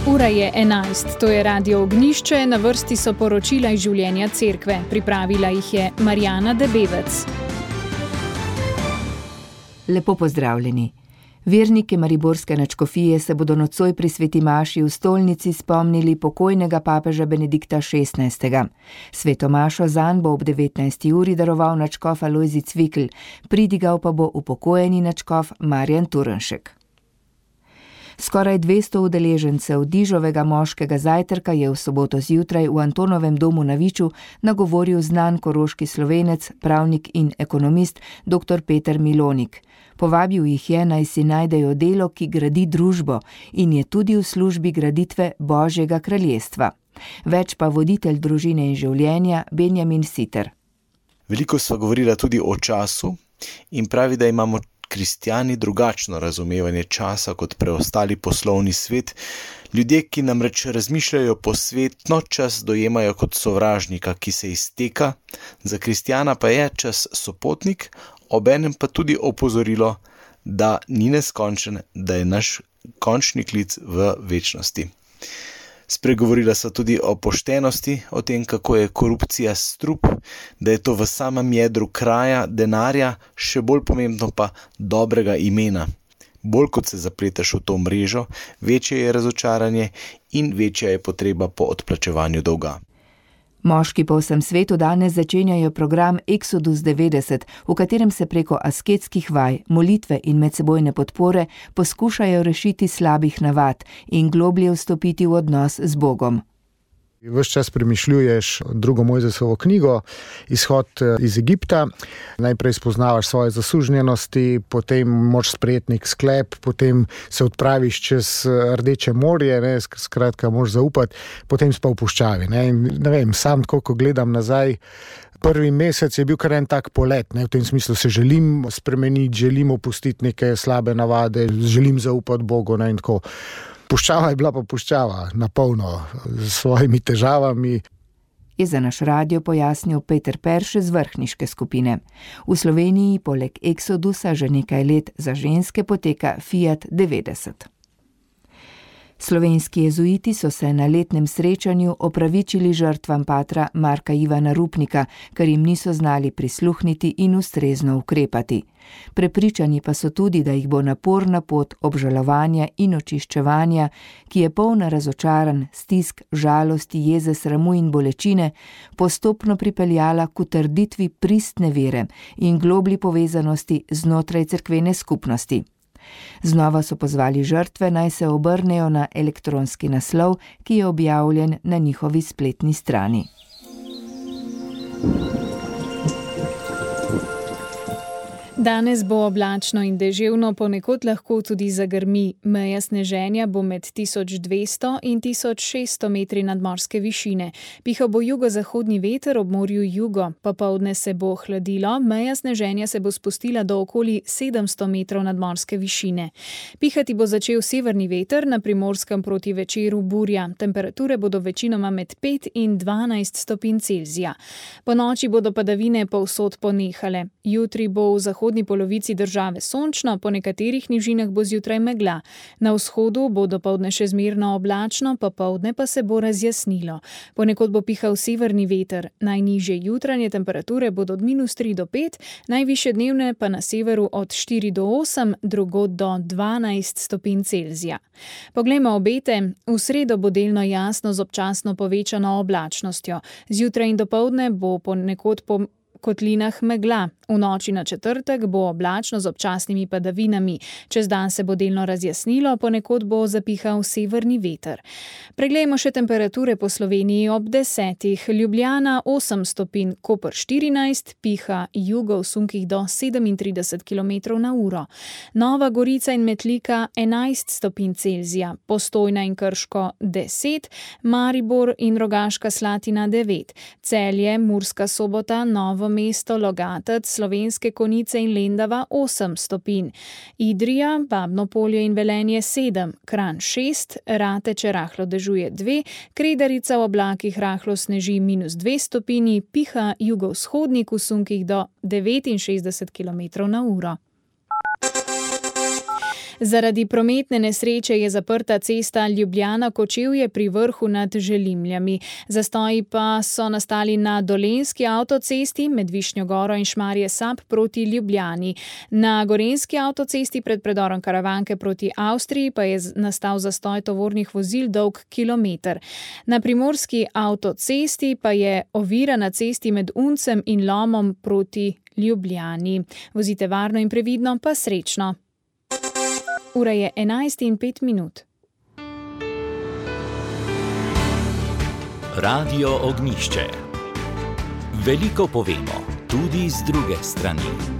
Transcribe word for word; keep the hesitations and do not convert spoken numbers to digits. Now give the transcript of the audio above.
Ura je enajst, to je Radio Ognjišče, na vrsti so poročila iz življenja cerkve. Pripravila jih je Marjana Debevec. Lepo pozdravljeni. Verniki mariborske nadškofije se bodo nocoj pri sveti maši v stolnici spomnili pokojnega papeža Benedikta šestnajstega. Sveto mašo zanj bo ob devetnajsti uri daroval nadškof Alojzij Cvikl, pridigal pa bo upokojeni nadškof Marjan Turnšek. Skoraj dvesto udeležencev dižovega moškega zajtrka je v soboto zjutraj v Antonovem domu na Viču nagovoril znan koroški Slovenec, pravnik in ekonomist dr. Peter Milonik. Povabil jih je, naj si najdejo delo, ki gradi družbo in je tudi v službi graditve Božjega kraljestva. Več pa voditelj družine in življenja Benjamin Siter. Veliko sva govorila tudi o času in pravi, da imamo kristjani drugačno razumevanje časa kot preostali poslovni svet. Ljudje, ki namreč razmišljajo posvetno, čas dojemajo kot sovražnika, ki se izteka. Za kristjana pa je čas sopotnik, obenem pa tudi opozorilo, da ni neskončen, da je naš končni klic v večnosti. Spregovorila so tudi o poštenosti, o tem, kako je korupcija strup, da je to v samem jedru kraja, denarja, še bolj pomembno pa dobrega imena. Bolj kot se zapletaš v to mrežo, večje je razočaranje in večja je potreba po odplačevanju dolga. Moški po vsem svetu danes začenjajo program Exodus devetdeset, v katerem se preko asketskih vaj, molitve in medsebojne podpore poskušajo rešiti slabih navad in globlje vstopiti v odnos z Bogom. Ves čas premišljuješ drugo Mojzesovo knjigo, izhod iz Egipta, najprej spoznavaš svoje zasužnjenosti, potem moraš sprejeti nek sklep, potem se odpraviš čez Rdeče morje, ne, skratka moraš zaupati, potem si pa v puščavi. Ne, ne vem, sam tako, ko gledam nazaj, prvi mesec je bil kar en tak polet, ne, v tem smislu se želim spremeniti, želim opustiti neke slabe navade, želim zaupati Bogu, ne, in tako. Puščava je bila pa puščava, napolno, s svojimi težavami. Je za naš radio pojasnil Peter Perše z vrhniške skupine. V Sloveniji poleg Exodusa že nekaj let za ženske poteka Fiat devetdeset. Slovenski jezuiti so se na letnem srečanju opravičili žrtvam patra Marka Ivana Rupnika, ker jim niso znali prisluhniti in ustrezno ukrepati. Prepričani pa so tudi, da jih bo naporna pot obžalovanja in očiščevanja, ki je polna razočaranj, stisk, žalosti, jeze, sramu in bolečine, postopno pripeljala k utrditvi pristne vere in globlji povezanosti znotraj cerkvene skupnosti. Znova so pozvali žrtve, naj se obrnejo na elektronski naslov, ki je objavljen na njihovi spletni strani. Danes bo oblačno in deževno, ponekod lahko tudi zagrmi. Meja sneženja bo med tisoč dvesto in tisoč šeststo metri nadmorske višine. Pihal bo jugozahodni veter, ob morju jugo. Popoldne se bo hladilo, meja sneženja se bo spustila do okoli sedemsto metrov nadmorske višine. Pihati bo začel severni veter, na Primorskem proti večeru burja. Temperature bodo večinoma med pet in dvanajst stopinj Celzija. Po noči bodo padavine povsod ponehale. Jutri bo v zahodni V polovici države sončno, po nekaterih nižinah bo zjutraj megla. Na vzhodu bo dopoldne še zmerno oblačno, popoldne pa se bo razjasnilo. Ponekod bo pihal severni veter. Najnižje jutranje temperature bodo od minus tri do pet, najvišje dnevne pa na severu od štiri do osem, drugod do dvanajst stopinj Celzija. Poglejmo obete. V sredo bo delno jasno z občasno povečano oblačnostjo. Zjutraj in dopoldne bo ponekod po kotlinah megla. V noči na četrtek bo oblačno z občasnimi padavinami. Čez dan se bo delno razjasnilo, ponekod bo zapihal severni veter. Preglejmo še temperature po Sloveniji ob desetih. Ljubljana osem stopinj, Koper štirinajst, piha jugo v sunkih do sedemintrideset kilometrov na uro. Nova Gorica in Metlika enajst stopinj Celzija, Postojna in Krško deset, Maribor in Rogaška Slatina devet, Celje, Murska Sobota, Novo mesto, Logatec, Slovenske Konjice in Lendava osem stopinj, Idrija, Babno Polje in Velenje sedem, Kranj šest, Rateče rahlo dežuje dve, Kredarica v oblakih rahlo sneži minus dve stopinji, piha jugovzhodnik v sunkih do devetinšestdeset kilometrov na uro. Zaradi prometne nesreče je zaprta cesta Ljubljana-Kočevje pri Vrhu nad Želimljami. Zastoji pa so nastali na Dolenjski avtocesti med Višnjo Goro in Šmarje Sap proti Ljubljani. Na Gorenjski avtocesti pred predorom Karavanke proti Avstriji pa je nastal zastoj tovornih vozil dolg kilometer. Na Primorski avtocesti pa je ovira na cesti med Uncem in Lomom proti Ljubljani. Vozite varno in previdno, pa srečno. Ura je enajst in pet minut. Radio Ognjišče. Veliko povemo, tudi z druge strani.